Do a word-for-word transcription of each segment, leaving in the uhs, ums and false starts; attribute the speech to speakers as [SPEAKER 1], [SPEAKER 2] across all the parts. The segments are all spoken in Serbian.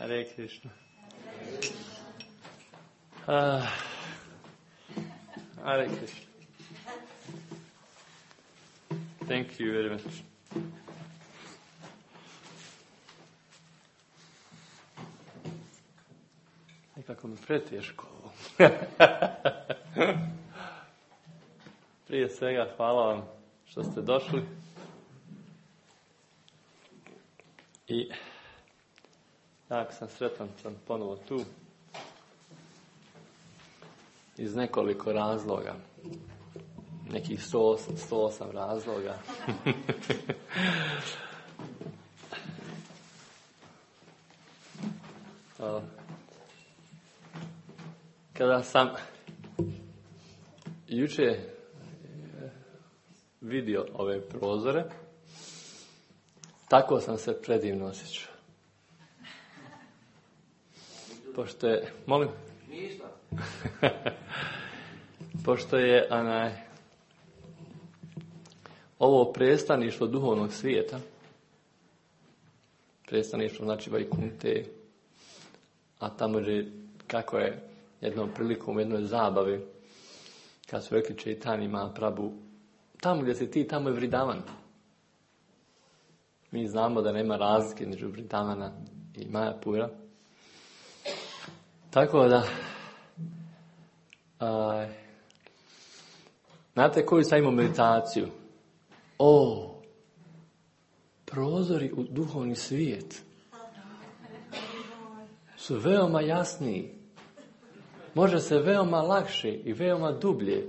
[SPEAKER 1] Hare Krishna. Uh, Hare Krishna. Thank you very much. Nekako mi preteško ovo. Prije svega hvala vam što ste došli. I jako sam sretan, sam ponovo tu. Iz nekoliko razloga. Nekih sto osam razloga. Kada sam juče vidio ove prozore, tako sam se predivno osjećao. Pošto je, molim? Ništa. Pošto je onaj, ovo predstavništvo duhovnog svijeta, predstavništvo znači Vajkunte, a tamo je, kako je jednom prilikom u jednoj zabavi, kad su rekli Čaitanja Mahaprabhu, tamo gdje si ti, tamo je Vridavan. Mi znamo da nema razlike između Vridavana i Majapura. Tako da, a, znate koju sam imao meditaciju? O, prozori u duhovni svijet su veoma jasniji. Može se veoma lakše i veoma dublje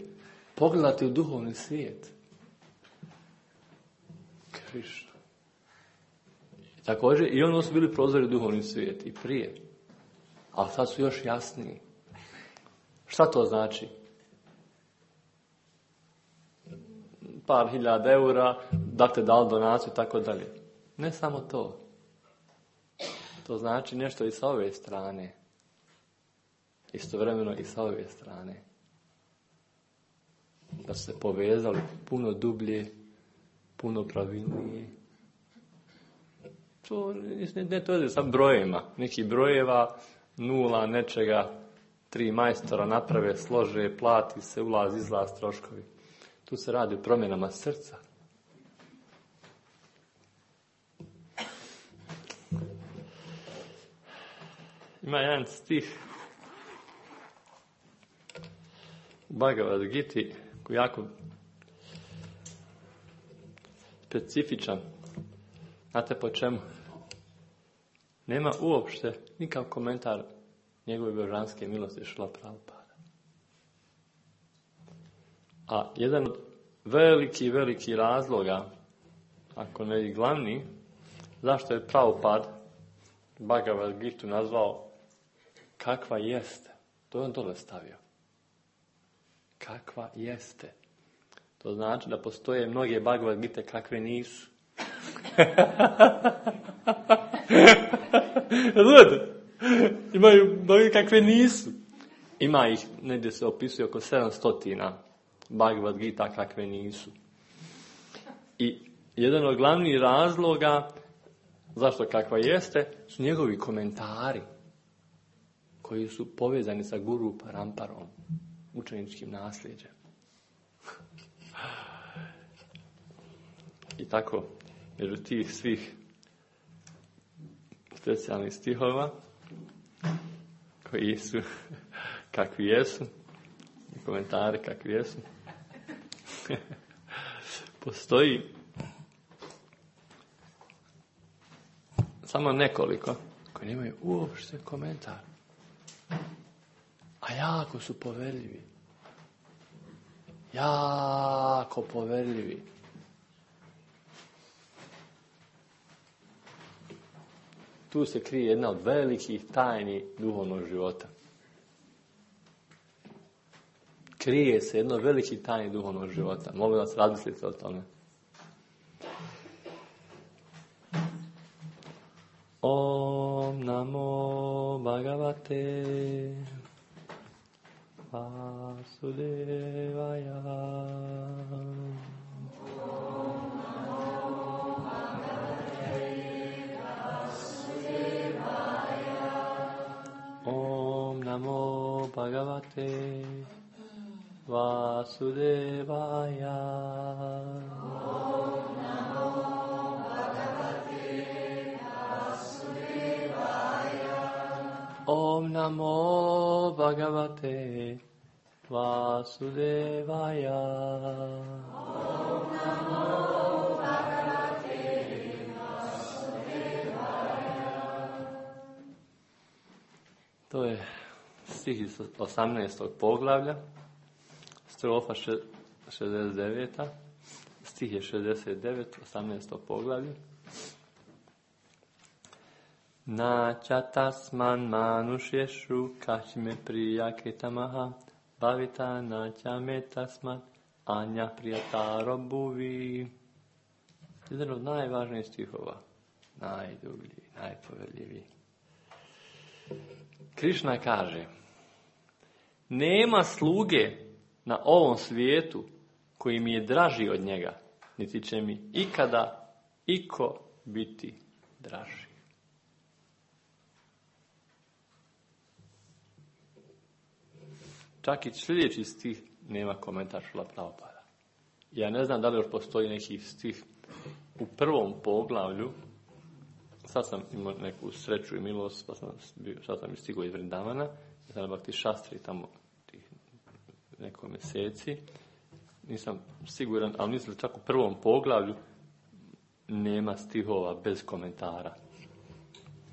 [SPEAKER 1] pogledati u duhovni svijet. Krišna. I također, i ono su bili prozori u duhovni svijet i prije. Ali sad su još jasniji. Šta to znači? Par hiljada eura, da te dali donaciju i tako dalje. Ne samo to. To znači nešto i sa ove strane. Istovremeno i sa ove strane. Da su se povezali puno dublje, puno pravilnije. To ne to je sa brojevima. Neki brojeva, nula, nečega, tri majstora naprave, slože, plati se, ulaz, izlaz, troškovi. Tu se radi o promjenama srca. Ima jedan stih u Bhagavad Giti koji je jako specifičan. Znate po čemu? Nema uopšte nikakav komentar njegove božanske milosti Šrila Prabhupada. A jedan od veliki, veliki razloga, ako ne i glavni, zašto je Prabhupada Bhagavad Gitu nazvao kakva jeste. To je on dole stavio. Kakva jeste. To znači da postoje mnoge Bhagavad Gite kakve nisu. Znate? Imaju mnoge kakve nisu. Ima ih, negdje se opisuje oko sedamsto Bhagavad Gita kakve nisu. I jedan od glavnih razloga zašto kakva jeste su njegovi komentari koji su povezani sa Guru Paramparom, učeničkim nasljeđem. I tako, među tih svih specijalnih stihova koji su kakvi jesu, komentari kakvi jesu, postoji samo nekoliko koji nemaju uopšte komentar, a jako su poverljivi. Jako poverljivi. Tu se krije jedna od velikih tajni duhovnog života. Krije se jedno od velikih tajni duhovnog života. Molim vas, razmislite o tome. Om namo bhagavate Vasudevaya. Om namo bhagavate Vasudevaya. Bhagavate Vasudevaya.
[SPEAKER 2] Om Namo Bhagavate Vasudevaya.
[SPEAKER 1] Om Namo Bhagavate Vasudevaya.
[SPEAKER 2] Om Namo Bhagavate Vasudevaya.
[SPEAKER 1] To je stih iz osamnaestog poglavlja, strofa šezdeset devet. Stih je šezdeset devet, osamnaesto poglavlje. Nacha tasman manušješu kačime prijaketamaha bhavita nacha me tasmat anja prijataro bhuvi. Jedan od najvažnijih stihova, najdublji, najpoveljiviji. Krišna kaže, nema sluge na ovom svijetu koji mi je draži od njega, niti će mi ikada iko biti draži. Čak i sljedeći stih nema komentar Šrila Prabhupada. Ja ne znam da li još postoji neki stih u prvom poglavlju. Sad sam imao neku sreću i milost, pa sam, bio, sad sam stigao iz Vrindavana, ja sam na Bhakti Šastri tamo tih neko mjeseci. Nisam siguran, ali mislim da čak u prvom poglavlju nema stihova bez komentara.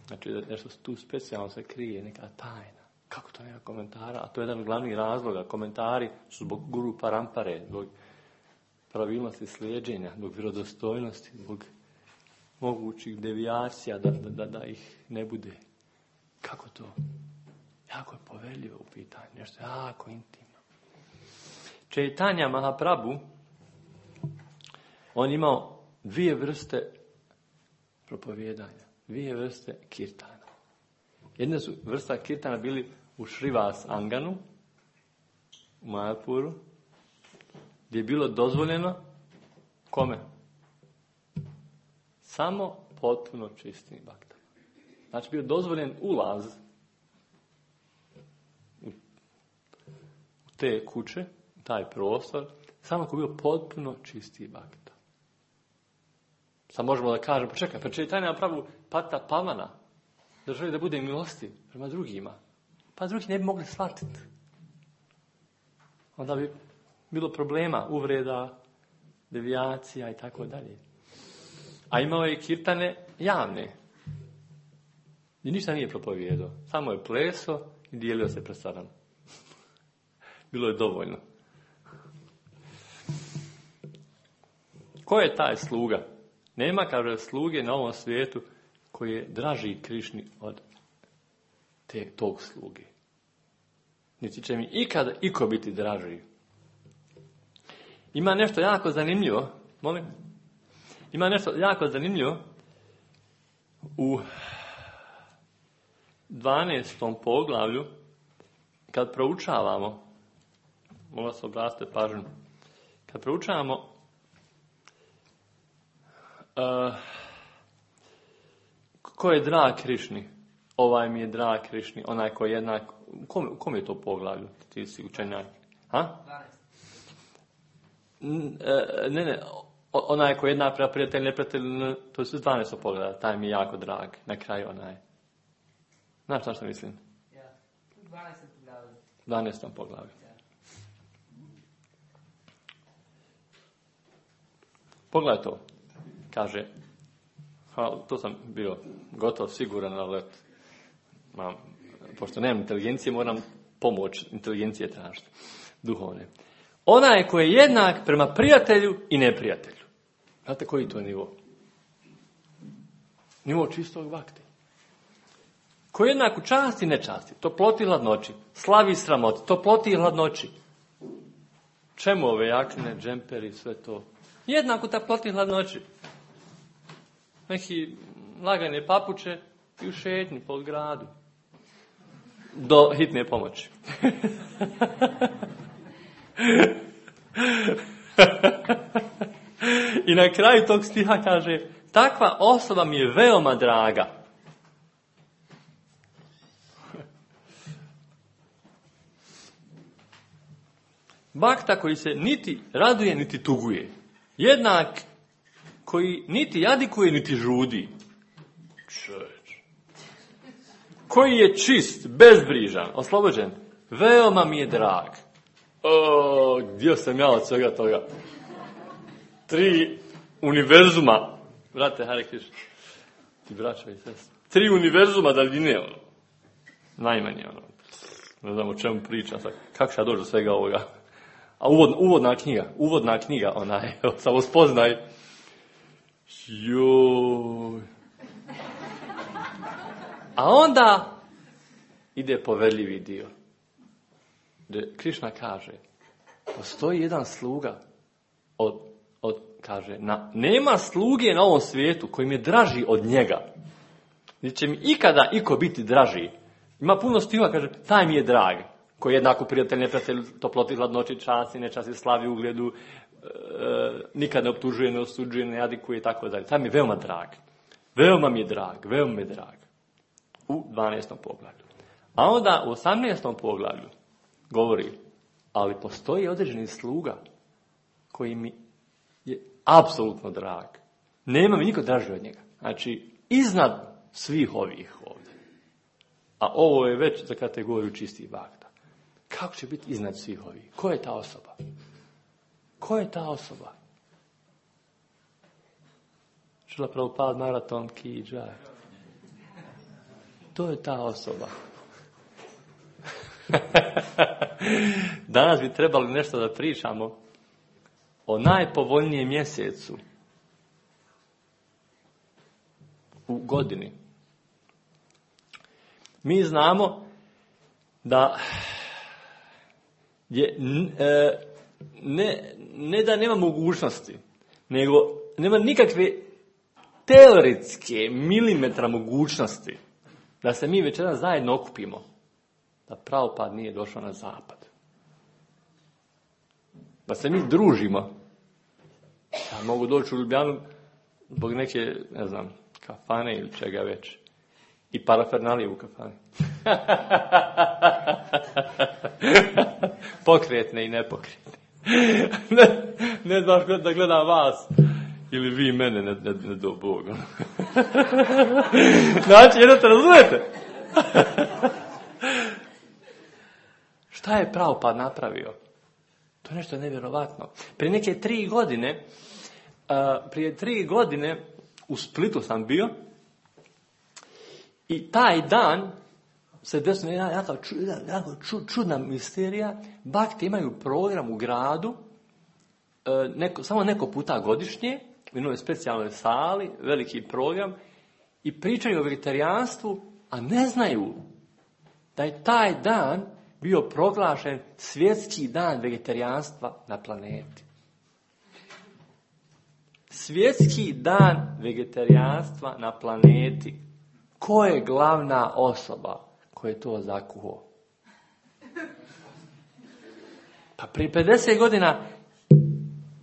[SPEAKER 1] Znači da nešto tu specijalno se krije, neka tajna. Kako to nema komentara? A to je jedan od glavnih razloga. Komentari su zbog guru parampare, zbog pravilnosti slijeđenja, zbog vjerodostojnosti, zbog mogućih devijacija da, da, da, da ih ne bude. Kako to? Jako je poveljivo u pitanju. Nešto jako intimno. Čaitanja Mahaprabhu, on imao dvije vrste propovijedanja. Dvije vrste kirtana. Jedna su vrsta kirtana bili u Šrivas Anganu, u Majapuru, gdje je bilo dozvoljeno kome? Samo potpuno čistim baktama. Znači bio dozvoljen ulaz u te kuće, u taj prostor, samo ako bio potpuno čisti bakta. Sad možemo da kažemo, pa čekaj, pa Čaitanja Mahaprabhu Pata Pavana, da želi da bude milosti prema drugima, pa drugi ne bi mogli shvatiti. Onda bi bilo problema, uvreda, devijacija i tako dalje. A imao je i kirtane javne. I ništa nije propovijedao. Samo je pleso i dijelio se predstavljeno. Bilo je dovoljno. Ko je taj sluga? Nema, kaže, sluge na ovom svijetu koji je draži Krišni od te, tog sluge. Niti će mi ikada iko biti draži. Ima nešto jako zanimljivo, molim, ima nešto jako zanimljivo u dvanaestom poglavlju, kad proučavamo, molim vas obratite pažnju, kad proučavamo uh, ko je drag Krišni, ovaj mi je drag Krišni, onaj ko je jednak, u kom, u kom je to poglavlju, ti si učenjak? Ha? Ne, ne, onaj ko je jednak prema prijatelj, neprijatelj, to je sve dvanaesto poglavlja, taj mi je jako drag, na kraju onaj. Znaš šta što mislim?
[SPEAKER 2] Ja, dvanaestom poglavlju.
[SPEAKER 1] dvanaestom poglavlju. Pogledaj to, kaže, to sam bio gotovo siguran, ali mam, pošto nemam inteligencije, moram pomoć inteligencije tražiti, duhovne. Onaj koji je jednak prema prijatelju i neprijatelju. Znate koji to je nivo? Nivo čistog bakti. Koji je jednak u časti i nečasti, toploti i hladnoći, slavi i sramoti, toploti i hladnoći. Čemu ove jakne, džemperi, sve to? Jednak u toploti i hladnoći. Neki lagane papuče i u šetnji po gradu. Do hitne pomoći. I na kraju tog stiha kaže, takva osoba mi je veoma draga. Bakta koji se niti raduje, niti tuguje. Jednak koji niti jadikuje, niti žudi. Čovječ. Koji je čist, bezbrižan, oslobođen. Veoma mi je drag. O, gdje sam ja od svega toga? Tri univerzuma. Brate, Hare Krishna. Ti braća i sestre. Tri univerzuma daljine, ono. Najmanje, ono. Ne znam o čemu pričam sad. Kako će ja doći do svega ovoga? A uvod, uvodna knjiga. Uvodna knjiga, onaj. Samo spoznaj. Joj. A onda ide poveljivi dio. Gdje Krišna kaže, postoji jedan sluga, od, od, kaže, na, nema sluge na ovom svijetu koji mi je draži od njega. Niti će mi ikada iko biti draži. Ima puno stihova, kaže, taj mi je drag. Koji je jednako prijatelj, neprijatelj, toploti, hladnoći, časti, nečasti, slavi, ugledu, e, nikad ne optužuje, ne osuđuje, ne jadikuje i tako dalje. Taj mi je veoma drag. Veoma mi je drag, veoma mi je drag. U dvanaestom poglavlju. A onda u osamnaestom poglavlju govori, ali postoji određeni sluga koji mi je apsolutno drag. Nema mi niko draži od njega. Znači, iznad svih ovih ovdje. A ovo je već za kategoriju čistih bakta. Kako će biti iznad svih ovih? Ko je ta osoba? Ko je ta osoba? Šrila Prabhupada maraton ki džaj. To je ta osoba. Danas bi trebali nešto da pričamo o najpovoljnijem mjesecu u godini. Mi znamo da je ne, ne da nema mogućnosti, nego nema nikakve teoretske milimetra mogućnosti da se mi večeras zajedno okupimo, da Prabhupada nije došao na zapad. Da se mi družimo. Ja mogu doći u Ljubljanu zbog neke, ne znam, kafane ili čega već. I parafernalije u kafani. Pokretne i nepokretne. ne, ne znam da gledam vas. Ili vi mene, ne, ne, ne do Boga. Znači, jedno te razumete? Šta je Prabhupada napravio? To je nešto nevjerovatno. Prije neke tri godine, uh, prije tri godine u Splitu sam bio i taj dan se desila jedna jako, jako čudna misterija. Bakti imaju program u gradu, uh, neko, samo neko puta godišnje, u jednoj specijalnoj sali, veliki program, i pričaju o vegetarijanstvu, a ne znaju da je taj dan bio proglašen svjetski dan vegetarijanstva na planeti. Svjetski dan vegetarijanstva na planeti. Ko je glavna osoba koja je to zakuhao? Pa prije pedeset godina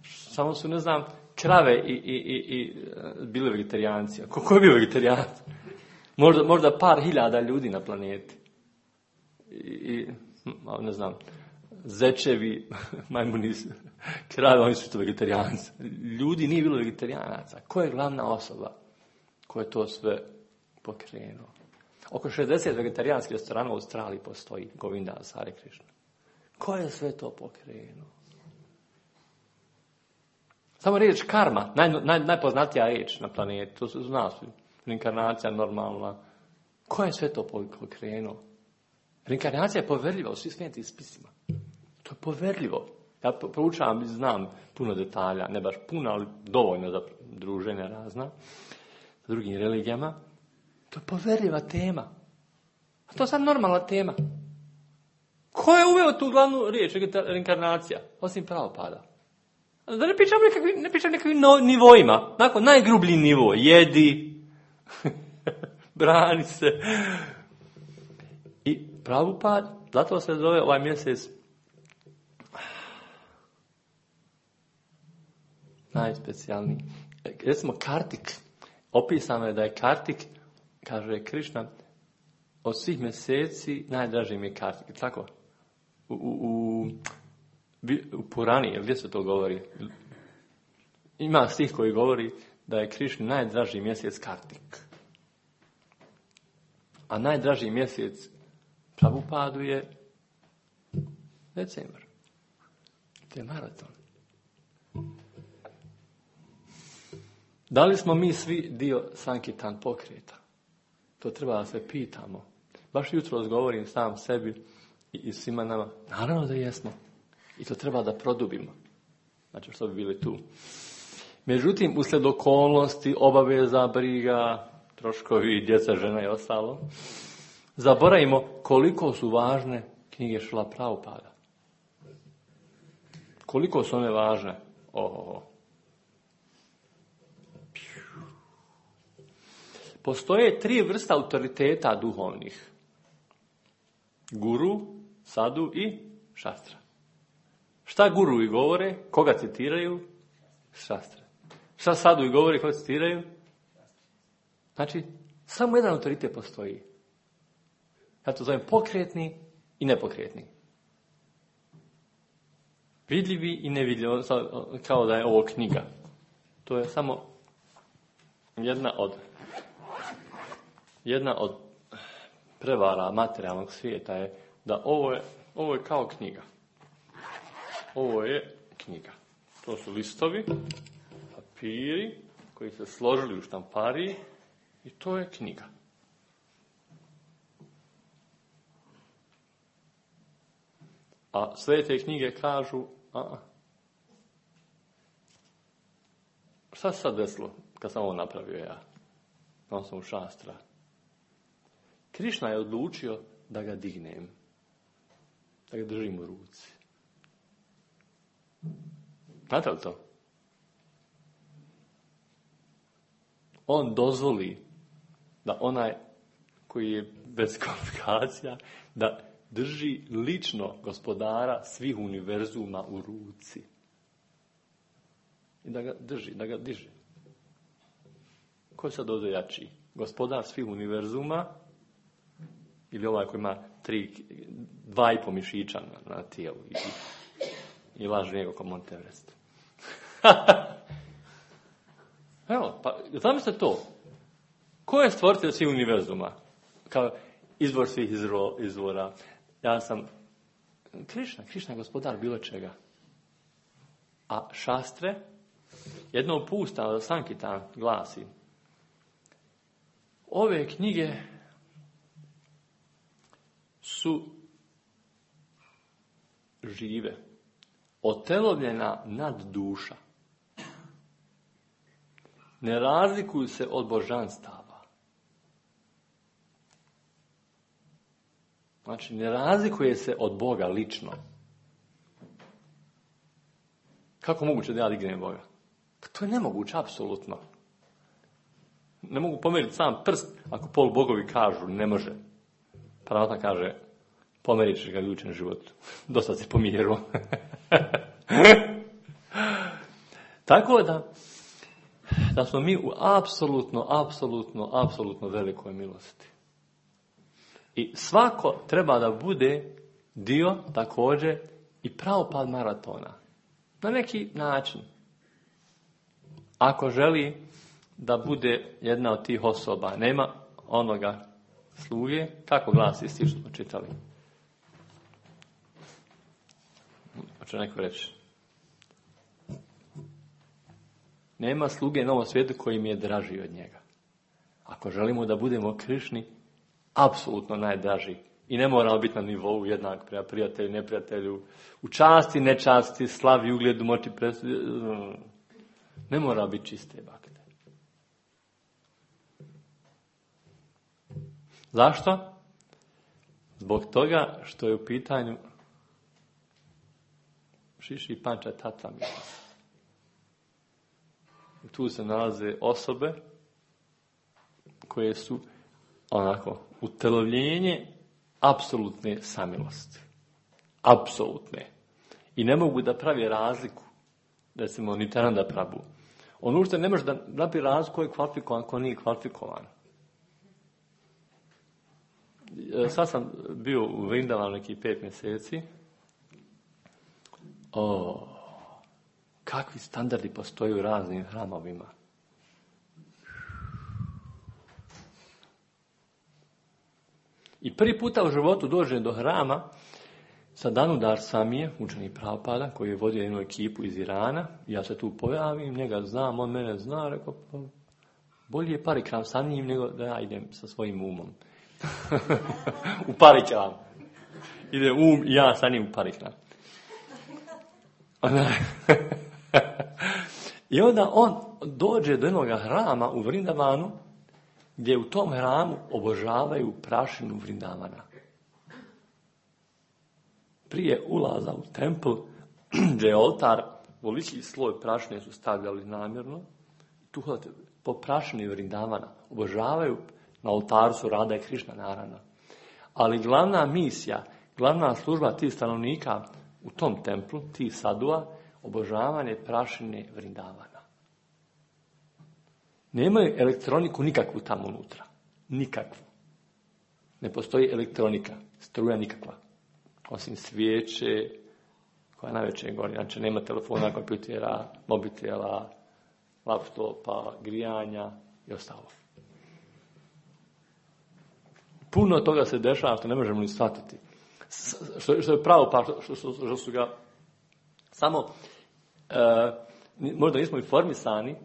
[SPEAKER 1] samo su, ne znam, krave i, i, i, i bile vegetarijanci. Ko, ko je bio vegetarijan? Možda, možda par hiljada ljudi na planeti. I, i ne znam, zečevi, majmuni, krave, oni su to vegetarijanci. Ljudi nije bilo vegetarijanaca. Ko je glavna osoba koja je to sve pokrenuo? Oko šezdeset vegetarijanskih restorana u Australiji postoji, Govinda, Hare Krishna. Ko je sve to pokrenuo? Samo riječ karma, naj, naj, najpoznatija riječ na planeti, to se zna svi. Reinkarnacija normalna. Ko je sve to pokrenuo? Reinkarnacija je poverljiva u svim svetim spisima. To je poverljivo. Ja proučavam i znam puno detalja, ne baš puno, ali dovoljno za druženja razna, sa drugim religijama. To je poverljiva tema. A to je sad normalna tema. Ko je uveo tu glavnu riječ, reinkarnacija? Osim Prabhupada. Da ne pričam nekakvim, ne pričam nekakvim no, nivoima. Nakon, najgrublji nivo. Jedi, brani se. I Prabhupada, zato se zove ovaj mjesec najspecijalniji. Recimo Kartik. Opisano je da je Kartik, kaže Krišna, od svih mjeseci najdraži mi je Kartik. Tako? U, u, u U Purani, gdje se to govori? Ima stih koji govori da je Krišni najdraži mjesec Kartik. A najdraži mjesec Prabhupadu je decembar. To je maraton. Da li smo mi svi dio Sankitan pokreta? To treba da se pitamo. Baš jutro govorim sam sebi i svima nama. Naravno da jesmo. I to treba da produbimo. Znači što bi bili tu. Međutim, uslijed okolnosti, obaveza, briga, troškovi, djeca, žena i ostalo, zaboravimo koliko su važne knjige Šrila Prabhupada. Koliko su one važne? Oho. Postoje tri vrsta autoriteta duhovnih. Guru, sadu i šastra. Šta guru i govore? Koga citiraju? Šastra. Šta sadu i govore? Koga citiraju? Znači, samo jedan autoritet postoji. Ja to zovem pokretni i nepokretni. Vidljivi i nevidljivi, kao da je ovo knjiga. To je samo jedna od jedna od prevara materijalnog svijeta je da ovo je, ovo je kao knjiga. Ovo je knjiga. To su listovi, papiri koji se složili u štampariji i to je knjiga. A sve te knjige kažu, a šta se sad desilo kad sam ovo napravio ja? Na osnovu šastra. Krišna je odlučio da ga dignem, da ga držim u ruci. Znate li to? On dozvoli da onaj koji je bez kvalifikacija, da drži lično gospodara svih univerzuma u ruci. I da ga drži, da ga diže. Ko je sad ovdje jači? Gospodar svih univerzuma ili ovaj koji ima tri, dva i po mišića na, na tijelu i, i laže njega kao Mount Everest. Evo, pa zamislite to. Ko je stvoritelj svih univerzuma? Kao izvor svih izro, izvora. Ja sam Krišna, Krišna je gospodar bilo čega. A šastre, jedno pusta od Sankitan glasi: ove knjige su žive, otelovljena nad duša. Ne razlikuju se od božanstava. Znači, ne razlikuje se od Boga lično. Kako moguće da ja dignem Boga? Pa to je nemoguće, apsolutno. Ne mogu pomeriti sam prst ako pol bogovi kažu ne može. Paravata kaže, pomerit ćeš ga u idućem životu. Dosta se pomjeru. Tako da, da smo mi u apsolutno, apsolutno, apsolutno velikoj milosti. I svako treba da bude dio također i pravopad maratona. Na neki način. Ako želi da bude jedna od tih osoba, nema onoga sluge, kako glasi stih što smo čitali? Hoće neko reći? Nema sluge na ovom svijetu koji mi je draži od njega. Ako želimo da budemo Krišni, apsolutno najdraži. I ne moramo biti na nivou jednak prema prijatelju, neprijatelju, u časti, nečasti, slavi, ugledu, moći, presudi. Ne mora biti čiste bakte. Zašto? Zbog toga što je u pitanju Šiši Panča Tattva. Tu se nalaze osobe koje su onako utelovljenje apsolutne samilosti. Apsolutne. I ne mogu da pravi razliku. Recimo, Nityananda Prabhu. On uopšte ne može da napravi razliku ko je kvalifikovan, ko nije kvalifikovan. Sad sam bio u Vrindavanu nekih pet mjeseci. O, kakvi standardi postoje u raznim hramovima. I prvi puta u životu dođe do hrama Sadanudar Samije, učenik Prabhupada, koji je vodio jednu ekipu iz Irana. Ja se tu pojavim, njega znam, on mene zna, rekao, pa, bolje je parikram sa njim nego da ja idem sa svojim umom. U parikram. Ide um i ja sa njim u parikram. I onda on dođe do jednog hrama u Vrindavanu, gdje u tom hramu obožavaju prašinu Vrindavana. Prije ulaza u templ, gdje je oltar, veliki sloj prašine su stavljali namjerno, tu hodate po prašini Vrindavana, obožavaju, na oltaru su Rada i Krišna naravno. Ali glavna misija, glavna služba tih stanovnika u tom templu, tih sadua, obožavanje prašine Vrindavana. Nemaju elektroniku nikakvu tamo unutra. Nikakvu. Ne postoji elektronika, struja nikakva. Osim svijeće, koja najveće gori. Znači nema telefona, kompjutera, mobitela, laptopa, grijanja i ostalo. Puno toga se dešava što ne možemo ni shvatiti. Što, što je pravo, pa što, što, što su ga samo, e, možda nismo informisani,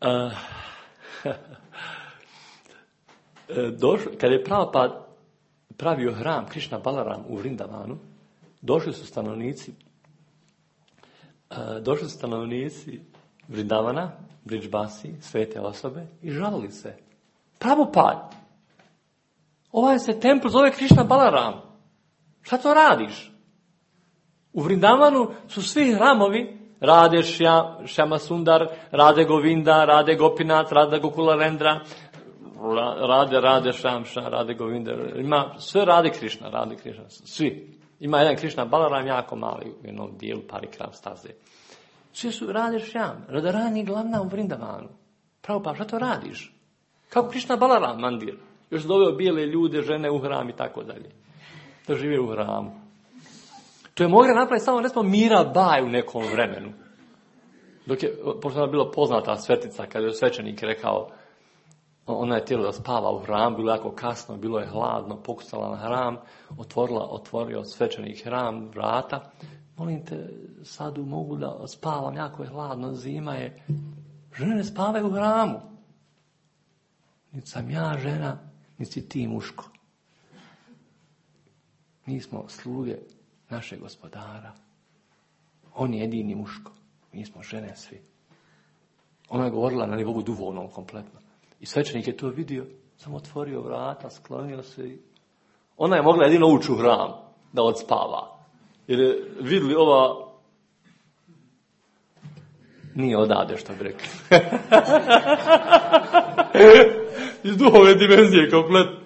[SPEAKER 1] e, došlo, kad je Prabhupada pravio hram Krišna Balaram u Vrindavanu, došli su stanovnici, e, došli su stanovnici Vrindavana, Bridžbasi, svete osobe i žalili se. Prabhupada, ovaj se templ zove Krišna Balaram. Šta to radiš? U Vrindavanu su svi hramovi, Rade Šjama Sundar, Rade Govinda, Rade Gopinath, Rade Gokularendra, Rade, Rade Šamša, Rade Govinda. Ima sve Rade Krišna, Rade Krišna, svi. Ima jedan Krišna Balaram jako mali u jednom dijelu Parikram staze. Svi su Rade Šjam, Radharani glavna u Vrindavanu. Pravo pa, šta to radiš? Kako Krišna Balaram mandir? Još se doveo bijele ljude, žene u hram i tako dalje. Da žive u hramu. To je mogla napraviti samo, ne smo Mirabai u nekom vremenu. Dok je, pošto je bila poznata svetica, kada je svećenik rekao, ona je htjela da spava u hram, bilo jako kasno, bilo je hladno, pokucala na hram, otvorila, otvorio svećenik hram, vrata. Molim te, sadu mogu da spavam, jako je hladno, zima je. Žene ne spavaju u hramu. Niti sam ja žena, niti ti muško. Mi smo sluge našeg gospodara. On je jedini muško. Mi smo žene svi. Ona je govorila na nivou duhovnom kompletno. I svećenik je to vidio, samo otvorio vrata, sklonio se. I... Ona je mogla jedino ući u hram da odspava. Jer je vidjeli ova... Nije odade, što bi rekli. Iz duhovne dimenzije kompletno.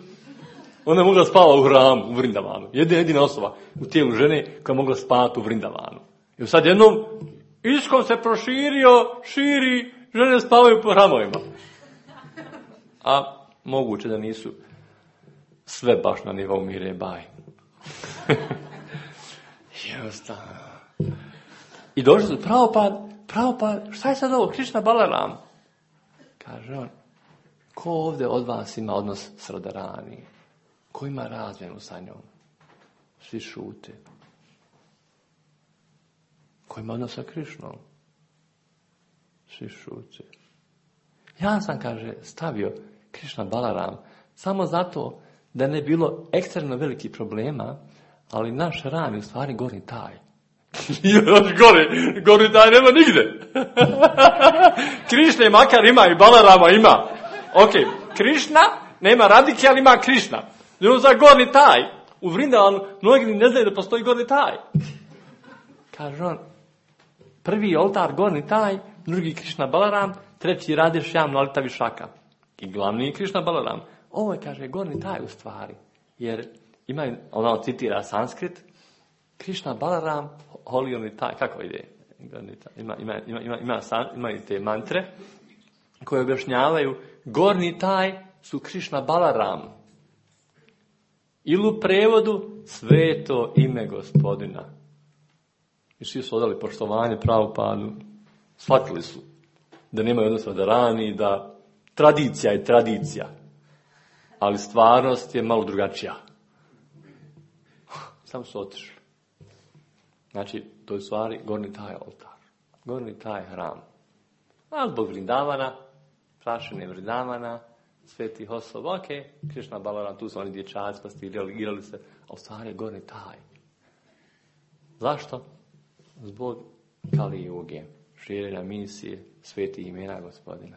[SPEAKER 1] Ona je mogla spava u hramu, u Vrindavanu. Jedina, jedina osoba u tijelu žene koja je mogla spavati u Vrindavanu. I sad jednom iskom se proširio, širi, žene spavaju po hramovima. A moguće da nisu sve baš na nivou Mirabai. Jednostavno. I došli su Prabhupada, Prabhupada, šta je sad ovo, Krišna Balaram? Kaže on, ko ovdje od vas ima odnos s Radharani? Ko ima razmjenu sa njom? Svi šute. Ko ima odnos sa Krišnom? Svi šute. Ja sam, kaže, stavio Krišna Balaram samo zato da ne bilo ekstremno velikih problema, ali naš hram je u stvari gornji taj. Još gori, gornji taj nema nigde. Krišne makar ima i Balarama ima. Ok, Krišna nema Radike, ali ima Krišna. Jer za gornji taj, u Vrindavanu, mnogi ne znaju da postoji gornji taj. Kaže on, prvi oltar gornji taj, drugi Krišna Balaram, treći Rade Šjam Lalita Višaka. I glavni je Krišna Balaram. Ovo je, kaže, gornji taj u stvari. Jer ima, ona citira sanskrit, Krišna Balaram, holi taj, kako ide? Ima, ima, ima, ima, ima, ima i te mantre koje objašnjavaju, gornji taj su Krišna Balaram. Ili u prevodu sveto ime Gospodina. I svi su odali poštovanje Prabhupadu. Shvatili su da nemaju odnosno da rani, da tradicija je tradicija, ali stvarnost je malo drugačija. Samo su otišli. Znači, to je u stvari gornji taj oltar, gornji taj hram. A zbog Vrindavana, prašine Vrindavana, svetih osoba, ok, Krišna Balaram, tu su oni dječaci, pa ste igrali se, a u stvari je gornji taj. Zašto? Zbog Kali Juge, širenja misije, svetih imena Gospodina.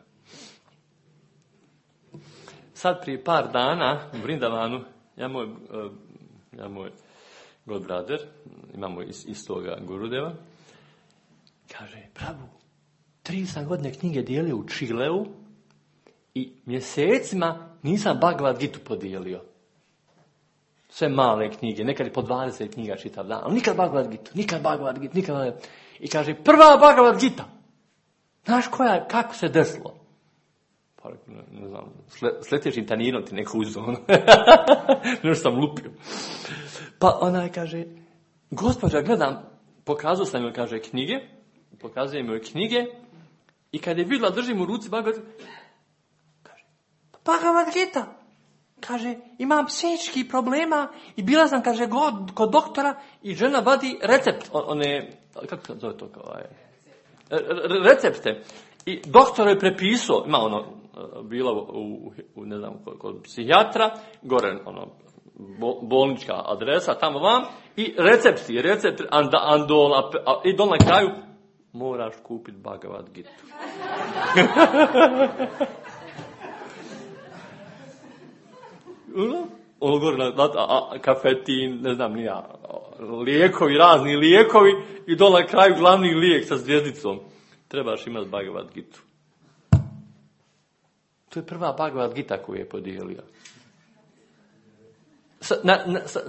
[SPEAKER 1] Sad prije par dana u Vrindavanu, ja moj, ja moj God brother, imamo istoga Gurudeva, kaže, Prabhu, tri sam godine knjige dijelio u Čileu i mjesecima nisam Bhagavad Gitu podijelio. Sve male knjige, nekad je po dvadeset knjiga čitav dan, ali nikad Bhagavad Gitu, nikad Bhagavad Gitu, nikad Bhagavad Gitu. I kaže, prva Bhagavad Gita. Znaš koja, kako se desilo? Pa, ne, ne znam, s letječim tanirom ti neko uzeo. Nešto sam lupio. Pa onaj kaže, gospođa, gledam, pokazao sam joj, kaže, knjige, pokazujem joj knjige, i kad je vidjela, držim u ruci Bhagavad Gita, kaže, Bhagavad Gita, kaže, imam psihičkih problema i bila sam, kaže, god, kod doktora i žena vadi recept, one, kako se zove to, kao, recepte. I doktor je prepisao, ima ono, bila u, u ne znam, kod, kod psihijatra, gore, ono, bolnička adresa, tamo vam, i recepti, recept, anda, andol, a, a, i dol na kraju, moraš kupiti Bhagavad Gitu. Ono gore, na, a, a, kafetin, ne znam, nija, lijekovi, razni lijekovi, i dol na kraju glavni lijek sa zvjezdicom. Trebaš imati Bhagavad Gitu. To je prva Bhagavad Gita koju je podijelio. Sa, na, na, sa,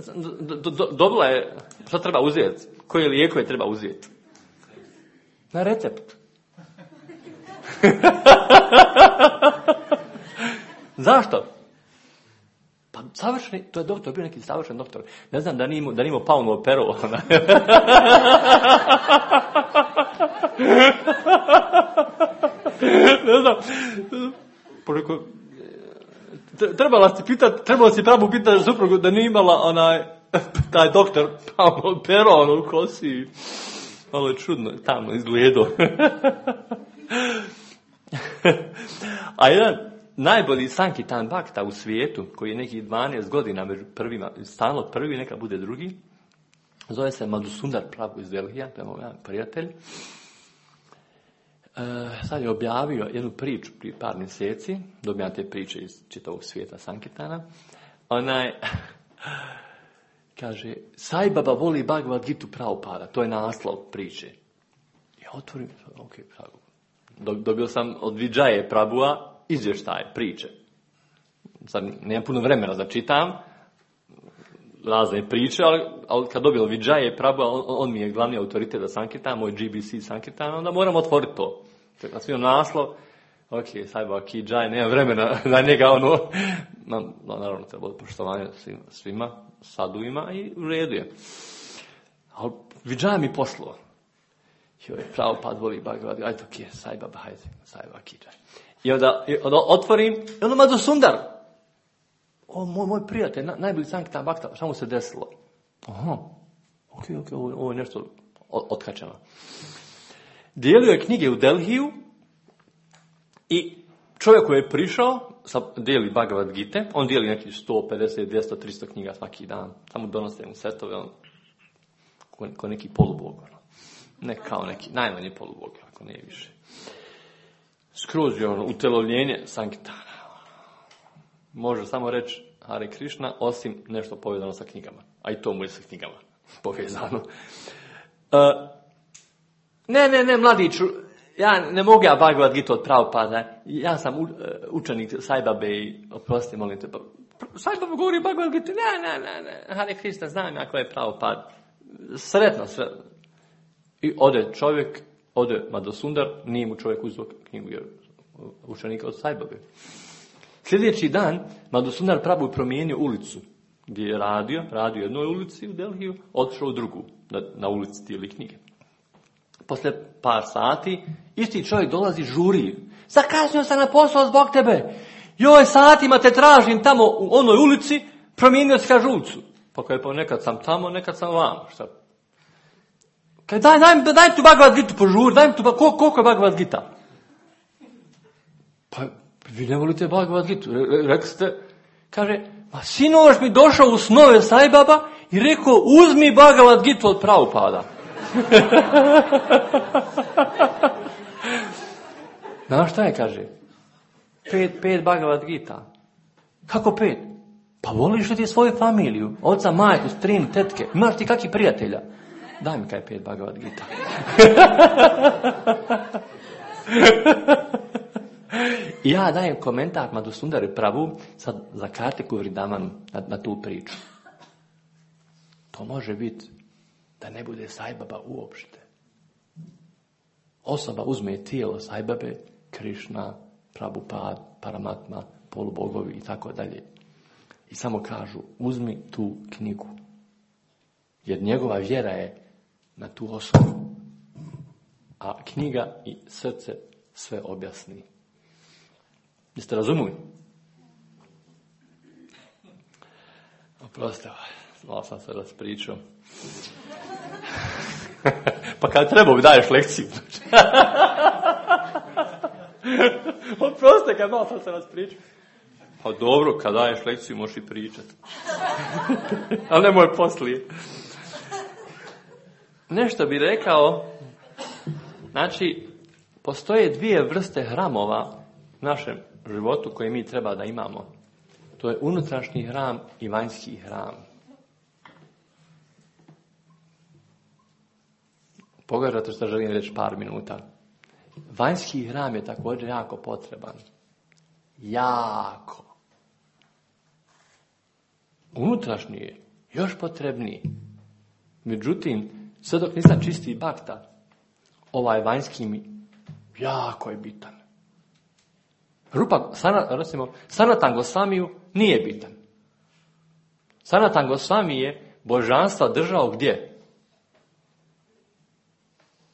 [SPEAKER 1] do, do, dobila je, šta treba uzeti? Koje lijekove treba uzeti? Na recept. Zašto? Pa savršeni, to je doktor, bio neki savršen doktor. Ne znam da nije imao, da nije imao Pavnu operu. Ne znam. Poreko, trebala si pitati, trebala si pravo pitati suprugu da nije imala onaj, taj doktor Pavnu operu, ono u kosi. Malo je čudno, tamno izgledao. A jedan najbolji Sankirtan Bhakta u svijetu, koji je nekih dvanaest godina među prvima, stalno prvi, neka bude drugi, zove se Madhusundar Prabhu iz Delhija, to je moj prijatelj. E, sad je objavio jednu priču prije par mjeseci, dobijam te priče iz čitavog svijeta Sankirtana. Onaj, kaže, Sai Baba voli Bhagavad Gitu Prabhupada, to je naslov priče. Ja otvorim, ok, Prabhu. Dobio sam od Vijaye Prabhua izvještaj, priče. Sad nemam puno vremena da čitam razne priče, ali, ali kad dobio Vijaye Prabhua, on, on mi je glavni autoritet za Sankirtan, moj G B C Sankirtan, onda moram otvoriti to. Kad svijem naslov, ok, Sai Baba ki Jai, nema vremena za njega, ono, no, no, naravno treba biti poštovanje svima, svima, saduima i u redu je. Ali Vijaye mi poslao. Joj, Prabhupada voli Bhagavad Gita, ajde, ok, Sai Baba, hajde, Sai Baba ki Jai. I onda, i onda otvorim, i onda Madhusundar. O, moj, moj prijatelj, na, najbolji Sankirtan Bhakta, šta mu se desilo? Aha, ok, ok, ovo, ovo je nešto otkačeno. Dijelio je knjige u Delhiju i čovjek koji je prišao, sa, dijeli Bhagavad Gita, on dijeli neki sto pedeset, dvjesto, tristo knjiga svaki dan, samo donose mu setove, on, ko, ko neki polubog, ono. Ne kao neki, najmanji polubog, ako ne više. Skroz je ono utelovljenje Sankirtana. Može samo reći Hare Krishna, osim nešto povezano sa knjigama. A i to mu je sa knjigama povezano. Uh, ne, ne, ne, mladiću, ja ne mogu ja Bhagavad Gitu od Prabhupada. Ja sam u, učenik Sai Babe i oprosti, molim te. Sai Baba govori Bhagavad Gitu. Ne, ne, ne, ne, Hare Krishna, znam ja ko je Prabhupada. Sretno sve. I ode čovjek, ode Madhusundar, nije mu čovjek uzeo knjigu jer učenika od Sai Babe. Sljedeći dan Madhusundar Prabhu promijenio ulicu gdje je radio, radio u jednoj ulici u Delhiju, otišao u drugu, na, na ulici dijeli knjige. Poslije par sati, isti čovjek dolazi, žuri. Zakasnio sam na posao zbog tebe. Joj, satima te tražim tamo u onoj ulici, promijenio si kažucu. Pa kaj, pa nekad sam tamo, nekad sam vamo. Šta? Kaj, daj, daj, daj tu Bhagavad Gitu požuri, daj mi tu, koliko, koliko je Bhagavad Gita? Pa, vi ne volite Bhagavad Gitu. Rekli ste, kaže, ma sinoć mi došao u snove Sai Baba i rekao, uzmi Bhagavad Gitu od Prabhupada. Znaš šta je, kaže? Pet, pet Bhagavad Gita. Kako pet? Pa voliš li ti svoju familiju? Oca, majku, strinu, tetke. Imaš ti kakvi prijatelja? Daj mi kaj pet Bhagavad Gita. I ja dajem komentar Madhusundari Prabhu sad za Kartiku Vrindavanu na, na tu priču. To može biti da ne bude Sai Baba uopšte. Osoba uzme tijelo Sai Babe, Krišna, Prabhupada, Paramatma, polubogovi i tako dalje. I samo kažu, uzmi tu knjigu. Jer njegova vjera je na tu osobu. A knjiga i srce sve objasni. Jeste razumili? Oprostite, malo sam se raspričao. Pa kad treba mi daješ lekciju. Oprostite, kad malo sam se raspričao. Pa dobro, kad daješ lekciju možeš i pričati. Ali nemoj poslije. Nešto bi rekao, znači, postoje dvije vrste hramova u našem životu koje mi treba da imamo. To je unutrašnji hram i vanjski hram. Pogledajte što želim reći par minuta. Vanjski hram je također jako potreban. Jako. Unutrašnji je još potrebniji. Međutim, sve dok nisam čisti bakta, ovaj vanjski mi jako je bitan. Rupa, sana, recimo, Sanatan Gosvamiju nije bitan. Sanatan Gosvami je božanstva držao gdje?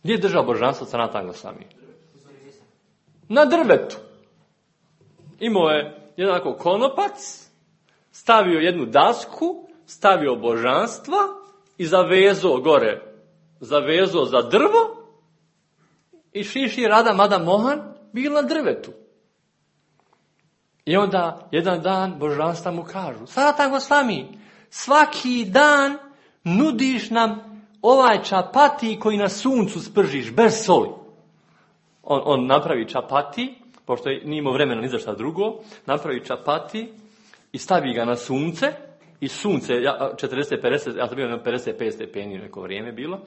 [SPEAKER 1] Gdje je držao božanstvo Sanatan Gosvami? Na drvetu. Imao je jednako konopac, stavio jednu dasku, stavio božanstva i zavezao gore. Zavezao za drvo i Šiši Rada Mada Mohan bil na drvetu. I onda jedan dan božanstva mu kažu, Sanatan Gosvami, svaki dan nudiš nam ovaj čapati koji na suncu spržiš, bez soli. On, on napravi čapati, pošto nije imao vremena ni za šta drugo, napravi čapati i stavi ga na sunce, i sunce, četrdeset pedeset, ja sam bio na pedeset pet stepeni neko vrijeme bilo,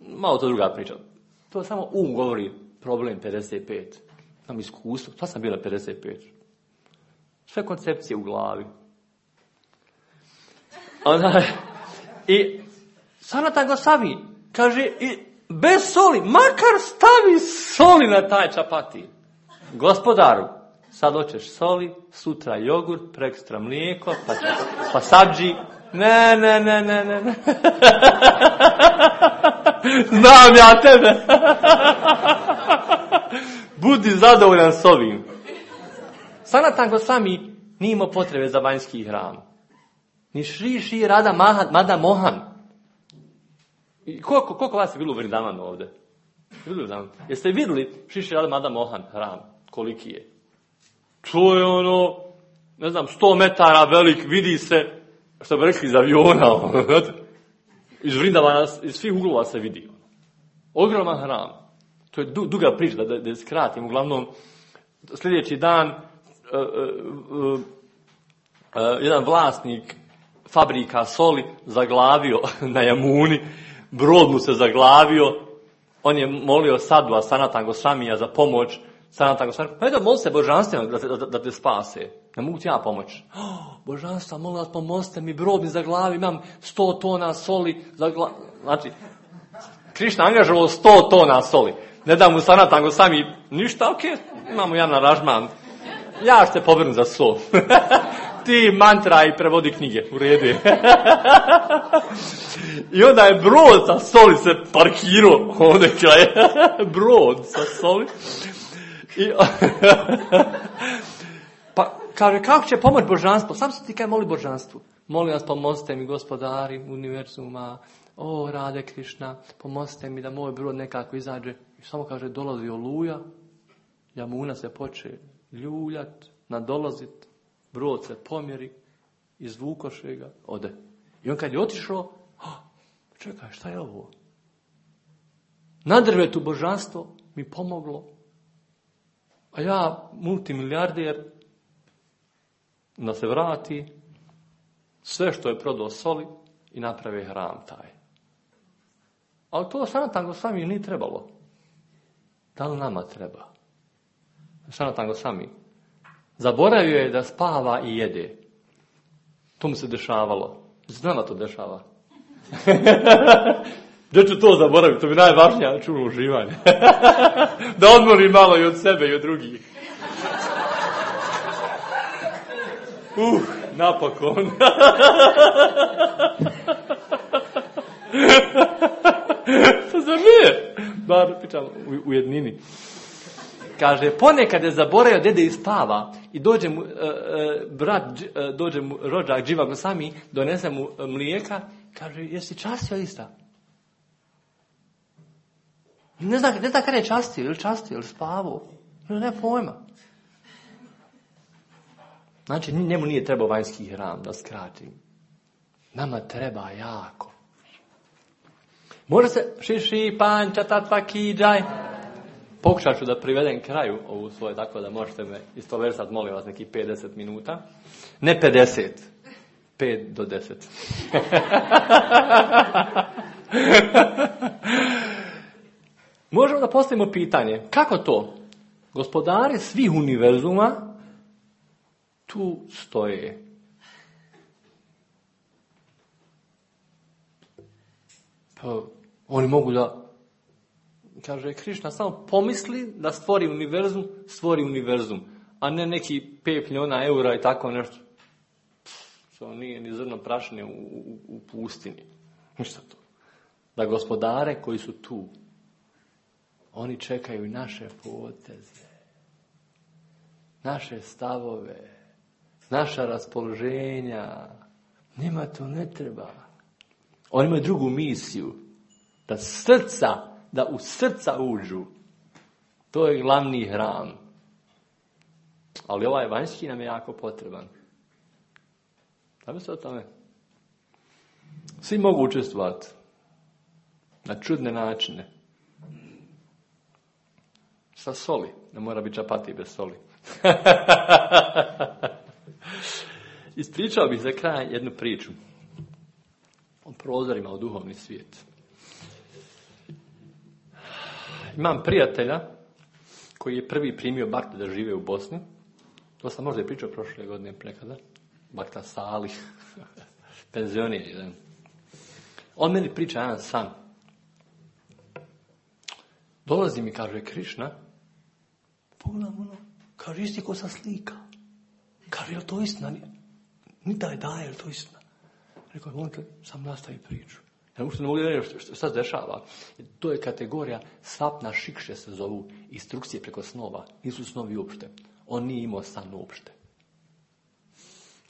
[SPEAKER 1] malo to druga priča. To samo um govori problem pedeset pet. Sam iskustvo, to sam bio na pedeset pet. Sve koncepcije u glavi. Onda, i Sanatan Gosvami kaže, i bez soli, makar stavi soli na taj čapati. Gospodaru, sad hoćeš soli, sutra jogurt, prekstra mlijeko, pa, pa sabđi. Ne, ne, ne, ne, ne, ne. Znam ja tebe. Budi zadovoljan s ovim. Sanatan Gosvami nije imao potrebe za vanjski hram. Ni Šri Šri Rada Mada Mohan. I koliko, koliko vas je bilo u Vrindavanu ovdje? Jeste vidjeli Šri Šri Rada Mada Mohan hram? Koliki je? To je ono, ne znam, sto metara velik, vidi se, što bi rekli iz aviona. Iz Vrindavana, iz svih uglova se vidi. Ogroman hram. To je du, duga priča, da, da skratim. Uglavnom, sljedeći dan, uh, uh, uh, uh, jedan vlasnik fabrika soli zaglavio na Jamuni, brod mu se zaglavio, on je molio Sadua Sanatan Gosvamija za pomoć. Sanatan Gosvami, pa eto, moli se božanstveno da, da, da te spase. Ne mogu ti ja pomoći. Oh, božanstva, molim vas, pomozite mi, brod mi zaglavi, imam sto tona soli. Zagla... Znači, Krišna angažovao sto tona soli. Ne da mu Sanatan Gosvami ništa, ok, imamo jedan aranžman. Ja ću te pobrnuti za sol. ti mantra i prevodi knjige, u redu je. I onda je brod sa soli se parkirao, ovdje kraj, brod sa soli. I, pa kaže, kako će pomoći božanstvo? Sam se ti kaj moli božanstvu. Molim vas, pomozite mi, gospodari univerzuma, o, Rade Krišna, pomozite mi da moj brod nekako izađe. I samo kaže, dolazi oluja, Jamuna se poče ljuljat, nadolazit, brod se pomjeri, izvukoše ga, ode. I on kad je otišao, oh, čekaj, šta je ovo? Na drvetu božanstvo mi pomoglo, a ja, multimilijarder, da se vrati, sve što je prodao soli i napravi hram taj. Ali to Sanatan Gosvami nije trebalo. Da li nama treba? Sanatan Gosvami zaboravio je da spava i jede. To mu se dešavalo. Znamo to dešava. Gdje ću to zaboraviti? To bi najvažnije čulo uživanje. Da odmori malo i od sebe i od drugih. Uh, napokon. To zar nije? Bar pričam u, u jednini. Kaže, ponekad je zaboravio dede i spava i dođe mu uh, uh, brat, uh, dođe mu rođak Dživa Gosvami, donese mu uh, mlijeka, kaže, jesi častio ista? Ne zna, ne zna kada je častio, ili častio, ili spavao. Ne pojma. Znači, njemu nije trebao vanjski hram, da skratim. Nama treba jako. Može se šiši, panča, tatva, kiđaj. Pokušat ću da privedem kraju ovu svoje, tako da možete me istoversati, molim vas, neki pedeset minuta. Ne pedeset, pet do deset. Možemo da postavimo pitanje, kako to? Gospodari svih univerzuma tu stoje. Pa oni mogu da, kaže Krišna, samo pomisli da stvori univerzum, stvori univerzum, a ne neki pet milijuna eura i tako nešto. To nije ni zrno prašine u, u, u pustini. Ništa to. Da gospodare koji su tu, oni čekaju naše poteze, naše stavove, naša raspoloženja. Njima to ne treba. Oni imaju drugu misiju. Da srca, da u srca uđu. To je glavni hram. Ali ovaj vanjski nam je jako potreban. Da se o tome? Svi mogu učestvovati. Na čudne načine. Sa soli. Ne mora biti čapati bez soli. Ispričao bih za kraj jednu priču o prozorima u duhovni svijet. Imam prijatelja koji je prvi primio Bakta da žive u Bosni. To sam možda i pričao prošle godine nekada. Bakta Salih. Penzioner jedan. On meni priča jedan san. Dolazi mi, kaže, Krišna. Pogledam ono. Kaže, isti ko sa slika. Kaže, je li to istina? Ni daj, daj, je li to istina? Rekao, molite, sam nastavi priču. Ja uopšte ne mogu da reći što, šta se dešava. To je kategorija sapna šikše se zovu, instrukcije preko snova. Nisu snovi uopšte. On nije imao san uopšte.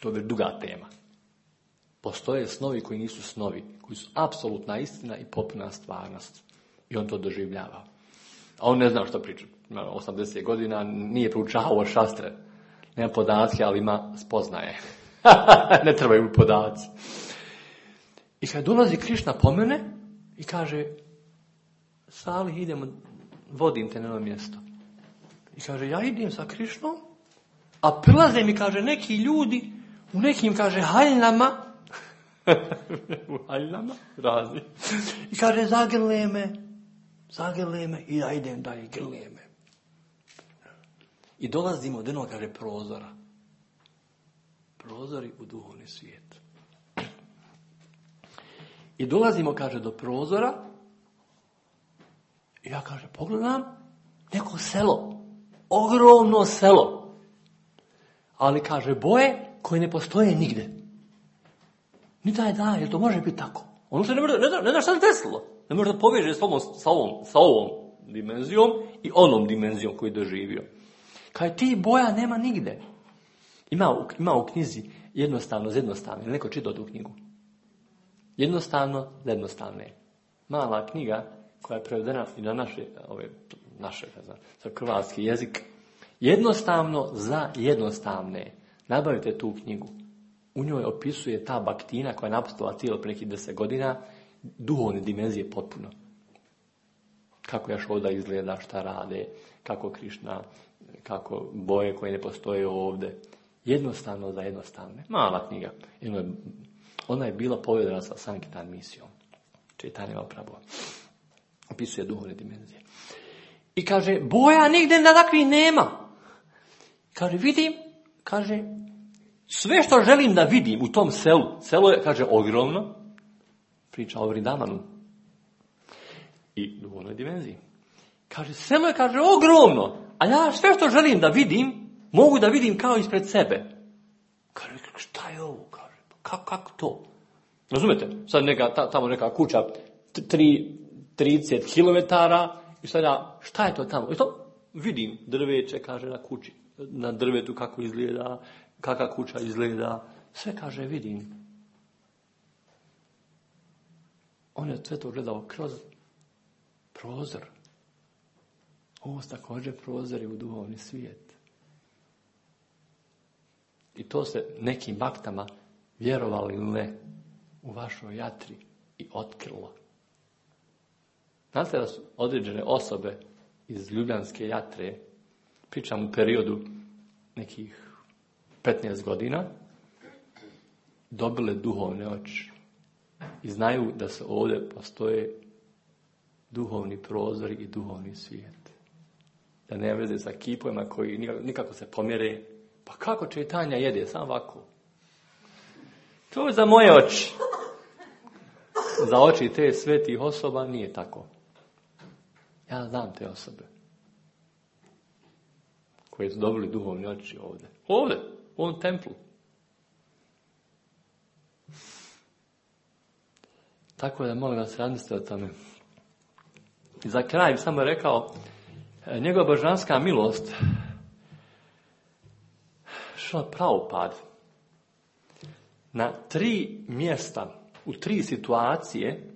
[SPEAKER 1] To je već duga tema. Postoje snovi koji nisu snovi, koji su apsolutna istina i potpuna stvarnost. I on to doživljava. A on ne zna što priča. Ima osamdeset godina, nije proučavao šastre. Nema podatke, ali ima spoznaje. Ne trebaju mu podaci. I kad dolazi Krišna po mene i kaže, Salih, idemo, vodim te na jedno mjesto. I kaže, ja idem sa Krišnom, a prilaze mi, kaže, neki ljudi u nekim, kaže, haljnama, u haljnama, razni, i kaže, zagrle me, zagrle me, i ja idem dalje, grle me. I dolazimo do jednog, kaže, prozora. Prozori u duhovni svijet. I dolazimo, kaže, do prozora i ja, kaže, pogledam neko selo, ogromno selo, ali, kaže, boje koje ne postoje nigde. Ni taj da, jer to može biti tako. Ono što ne, može, ne, zna, ne zna šta se desilo. Ne može da poveže s ovom, sa, ovom, sa ovom dimenzijom i onom dimenzijom koju je doživio. Kaj ti boja nema nigde. Ima u, ima u knjizi jednostavno za jednostavne. Ili neko čitao tu knjigu? Jednostavno za jednostavne. Mala knjiga koja je prevedena i na naše, ove, naše, ne znam, za hrvatski jezik. Jednostavno za jednostavne. Nabavite tu knjigu. U njoj opisuje ta baktina koja je napustila tijelo pre nekih deset godina, duhovne dimenzije potpuno. Kako Jašoda izgleda, šta rade, kako Krišna, kako boje koje ne postoje ovdje. Jednostavno za jednostavne. Mala knjiga. Ona je bila povedena sa Sankirtan misijom. Čitanje Mahaprabhua. Opisuje duhovne dimenzije. I kaže, boja nigdje da takvih nema. Kaže, vidim, kaže, sve što želim da vidim u tom selu, selo je, kaže, ogromno, priča o Vrindavanu i duhovnoj dimenziji. Kaže, selo je, kaže, ogromno, a ja sve što želim da vidim, mogu da vidim kao ispred sebe. Kaže, šta je ovo? Kaže, kako, kako to? Razumete? Sad neka, ta, tamo neka kuća, trideset kilometara, i sada, šta je to tamo? I to vidim drveće, kaže, na kući, na drvetu kako izgleda, kakva kuća izgleda, sve, kaže, vidim. On je sve to gledao kroz prozor. Ovo su također prozori u duhovni svijet. I to se nekim baktama, vjerovali ili ne, u vašoj jatri i otkrilo. Znate da su određene osobe iz Ljubljanske jatre, pričam u periodu nekih petnaest godina, dobile duhovne oči i znaju da se ovdje postoje duhovni prozori i duhovni svijet. Da ne veze sa kipovima koji nikako, nikako se pomjere. Pa kako čitanja jede? Samo ovako. To je za moje oči. Za oči te svetih osoba nije tako. Ja znam te osobe koje su dobili duhovne oči ovdje. Ovdje, u ovom templu. Tako da molim vas razmislite o tome. I za kraj bi samo rekao, njegova božanska milost, što Prabhupada, na tri mjesta, u tri situacije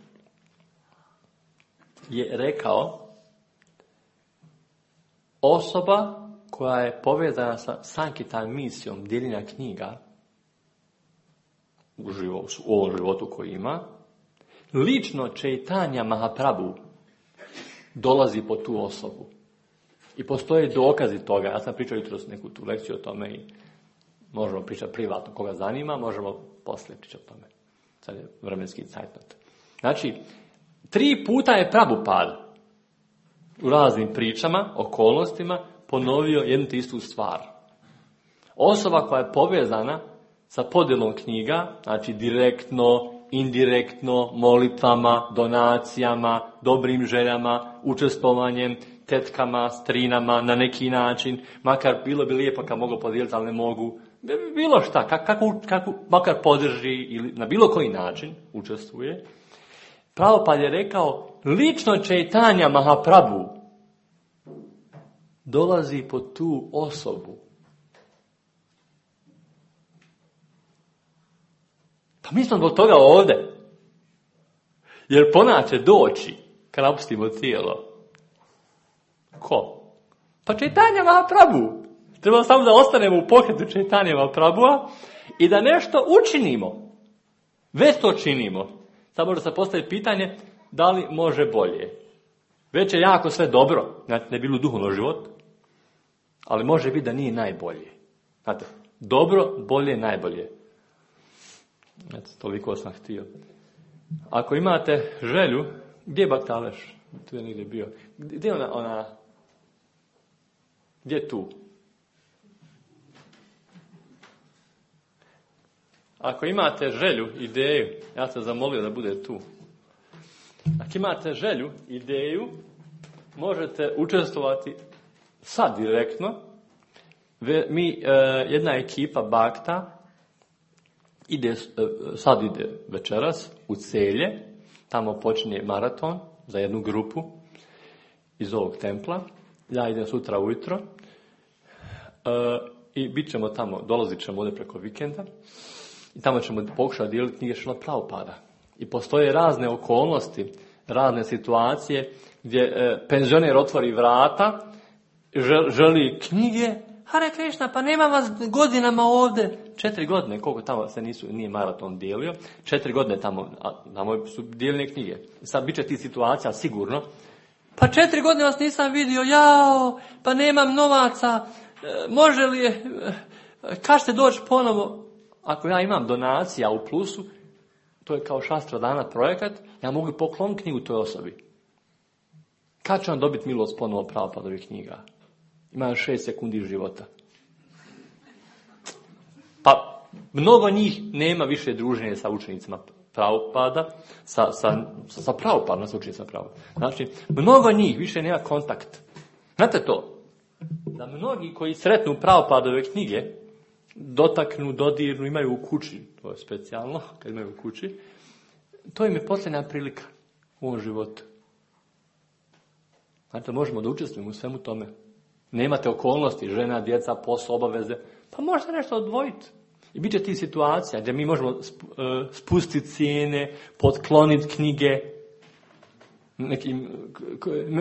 [SPEAKER 1] je rekao, osoba koja je povezana sa Sankirtan misijom dijeljenja knjiga u, životu, u ovom životu koji ima, lično Čaitanja Mahaprabhu dolazi po tu osobu. I postoje dokazi toga. Ja sam pričao jutros neku tu lekciju o tome i možemo pričati privatno. Koga zanima, možemo poslije pričati o tome. Sad je vremenski cajtnot. Znači, tri puta je Prabhupada u raznim pričama, okolnostima, ponovio jednu te istu stvar. Osoba koja je povezana sa podjelom knjiga, znači direktno, indirektno, molitvama, donacijama, dobrim željama, učestvovanjem, tetkama, strinama, na neki način, makar bilo bi lijepo kad mogu podijeliti, ali ne mogu, bilo šta, kako, kako, makar podrži ili na bilo koji način učestvuje. Prabhupada je rekao, lično Čaitanja Mahaprabhu dolazi po tu osobu. Pa mi smo zbog toga ovdje. Jer pona će doći kad napustimo tijelo. Ko? Pa Čaitanja Mahaprabhu. Treba samo da ostanemo u pokretu Čaitanja Mahaprabhua i da nešto učinimo. Već to činimo. Sad može se postaviti pitanje da li može bolje. Već je jako sve dobro. Znači, ne bilo duhovno život. Ali može biti da nije najbolje. Znate, dobro, bolje, najbolje. Eto, toliko sam htio. Ako imate želju, gdje je Baktaleš? Tu je negdje bio. Gdje je ona, ona, gdje je tu? Ako imate želju, ideju, ja sam zamolio da bude tu. Ako imate želju, ideju, možete učestvovati sad direktno. Mi, jedna ekipa Bakta, ide, sad ide večeras u Celje, tamo počinje maraton za jednu grupu iz ovog templa. Ja idem sutra ujutro e, i bit ćemo tamo, dolazit ćemo ovdje preko vikenda i tamo ćemo pokušati dijeliti knjige Šrila Prabhupada. I postoje razne okolnosti, razne situacije gdje e, penzioner otvori vrata, žel, želi knjige. Hare Krishna, pa nema vas godinama ovdje. Četiri godine, koliko tamo se nisu, nije maraton dijelio, četiri godine tamo, a tamo su dijeljene knjige. Sad bit će ti situacija sigurno. Pa četiri godine vas nisam vidio, jao, pa nemam novaca, e, može li, e, kad ćete doći ponovo? Ako ja imam donacija u plusu, to je kao Šastra Dana projekat, ja mogu pokloniti knjigu toj osobi. Kad će on dobiti milost ponovo Prabhupadovih knjiga? Ima još šest sekundi života. Pa mnogo njih nema više druženja sa učenicima Prabhupada, sa, sa, sa Prabhupadom, sa učenicima Prabhupada. Znači, mnogo njih više nema kontakt. Znate to? Da mnogi koji sretnu Prabhupadove knjige, dotaknu, dodirnu, imaju u kući, to je specijalno, kad imaju u kući, to im je posljednja prilika u ovom životu. Znate, možemo da učestvujemo u svemu tome. Nemate okolnosti, žena, djeca, posao, obaveze, pa možete nešto odvojiti. I bit će ti situacija gdje mi možemo spustiti cijene, potkloniti knjige. Nekim,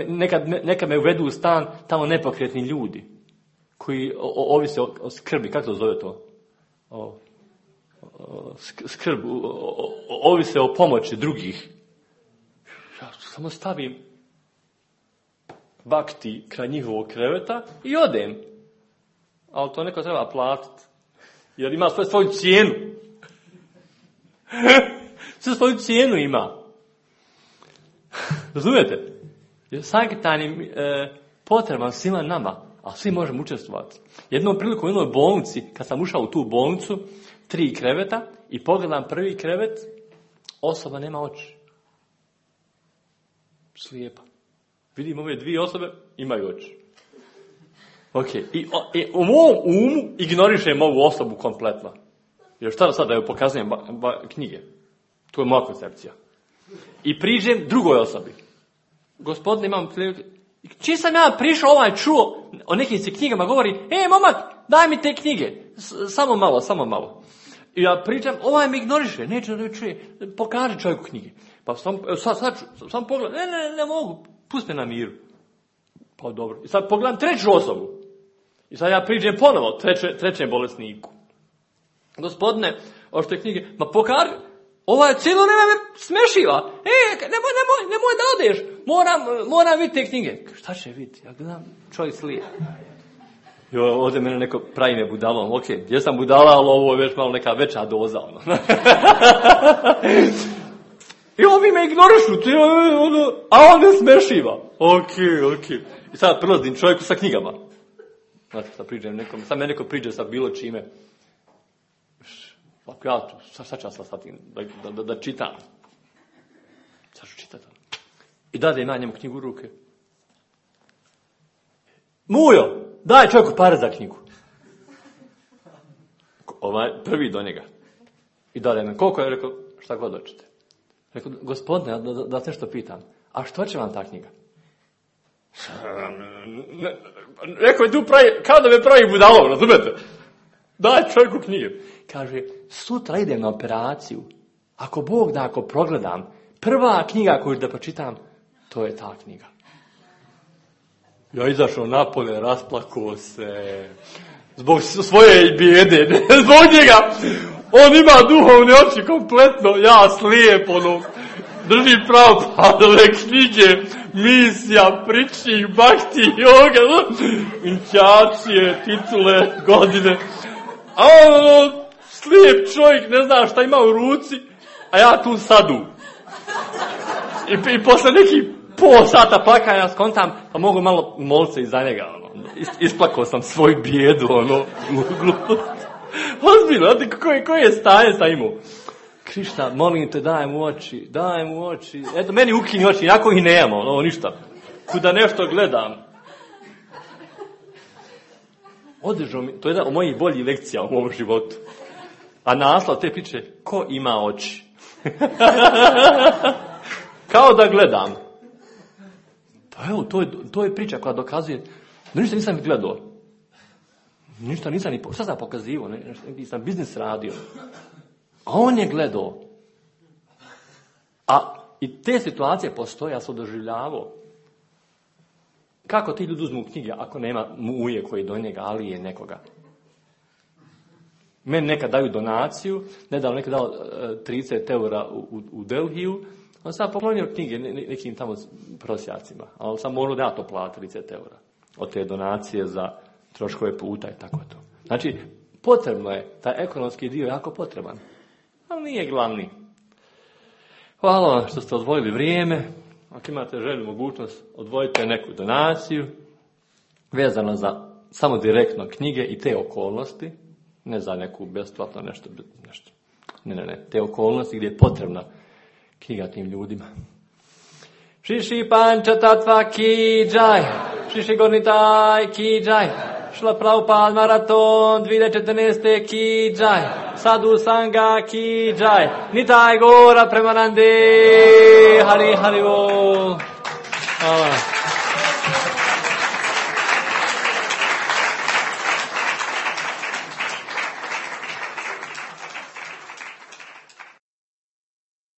[SPEAKER 1] nekad, nekad me uvedu u stan tamo nepokretni ljudi koji o, ovise o, o skrbi, kako to zove to? O, o, skrb, o, o, ovise o pomoći drugih. Ja samo stavim bakti kraj njihovog kreveta i odem. Ali to neko treba platiti. Jer ima sve svoju cijenu. Sve svoju cijenu ima. Razumijete? Jer Sankirtan je e, potreban svima nama, a svi možemo učestvovati. Jednom priliku u jednoj bolnici, kad sam ušao u tu bolnicu, tri kreveta i pogledam prvi krevet, osoba nema oči. Slijepa. Vidim ove dvije osobe, imaju oči. Ok, i, o, i u mom umu ignorišem ovu osobu kompletno. Jer šta da sad da joj pokazujem ba, ba, knjige? To je moja koncepcija. I priđem drugoj osobi. Gospodine, imam priliku. Čim sam ja prišao, ovaj čuo, o nekim se knjigama govori, e, momak, daj mi te knjige. S, samo malo, samo malo. I ja pričam, ovaj me ignoriše, neće da čuje, pokaži čovjeku knjige. Pa sam, sad, sad, sam pogledam, ne, ne, ne mogu, pusti na miru. Pa dobro. I sad pogledam treću osobu. I sad ja priđem ponovo treće, trećem bolesniku. Gospodine, ošte knjige, ma pokaži, ovaj cijelo nema me smešiva. E, nemoj, nemoj, nemoj da odeš. Moram, moram vidjeti te knjige. Šta će vidjeti? Ja gledam, čovjek slije. Jo, ovdje mene neko pravi me budalom. Ok, jesam budala, ali ovo je već malo neka veća doza. Ono. I ovi me ignorišu, ono, a on me smešiva. Ok, ok. I sad prilazim čovjeku sa knjigama. Znači, sad priđem nekom, sad me neko priđe sa bilo čime. Ako ja tu, sad, sad ću ja sad da, da, da, da čitam. Sad ću čitati. I dade ima njemu knjigu u ruke. Mujo, daj čovjeku pare za knjigu. Ovaj, prvi do njega. I dade me, koliko je, rekao, šta god hoćete. Rekao, gospodine, da, da, da nešto pitam. A što će vam ta knjiga? Rekao je tu pravi, kao da me pravi budalom, razumete? Daj čovjeku knjige. Kaže, sutra idem na operaciju. Ako Bog da, ako progledam, prva knjiga koju da pročitam, to je ta knjiga. Ja izašao napolje, rasplakao se. Zbog svoje bijede, ne, zbog njega. On ima duhovne oči kompletno, ja slijep, ono, drži Prabhupadove knjige, misija, priči, bakti, joga, inćačije, titule, godine. A ono, slijep čovjek, ne zna šta ima u ruci, a ja tu sadu. I, i posle nekih pol sata plakanja skontam, pa mogu malo molit se iza njega, ono. Isplakao sam svoju bijedu, ono, ozbiljno, znate, koje, koje je stanje sam imao? Krišna, molim te, daj mu oči, daj mu oči. Eto, meni ukini oči, inako ih nemamo, ono, ništa. Kuda nešto gledam. Održao mi, to je jedna od mojih boljih lekcija u mom životu. A naslov te priče, ko ima oči? Kao da gledam. Pa evo, to je, to je priča koja dokazuje da ništa nisam gledao. Ništa nisam ni, šta sam pokazivao, ne, nisam biznis radio. A on je gledao. A i te situacije postoje, ja sam doživljavao. Kako ti ljudi uzmu knjige ako nema muje koji do njega, ali je nekoga? Meni nekad daju donaciju, nedavno nekad dao trideset eura u, u, u Delhiju, on sam poklonio knjige nekim tamo prosjacima, ali sam morao da ja to plati trideset eura od te donacije za troškove puta i tako to. Znači, potrebno je, taj ekonomski dio je jako potreban, ali nije glavni. Hvala vam što ste odvojili vrijeme. Ako imate želju, mogućnost, odvojite neku donaciju vezano za samo direktno knjige i te okolnosti, ne za neku besplatno nešto, nešto. Ne, ne, ne, te okolnosti gdje je potrebna knjiga tim ljudima. Šiši panča tatva ki džaj, šiši gornitaj ki džaj, šla Prabhupada maraton dvije tisuće četrnaeste ki džaj, Sadhu Sangha ki džaj, Nitaj Gora Premanande, Hari Hari Bol. Hvala.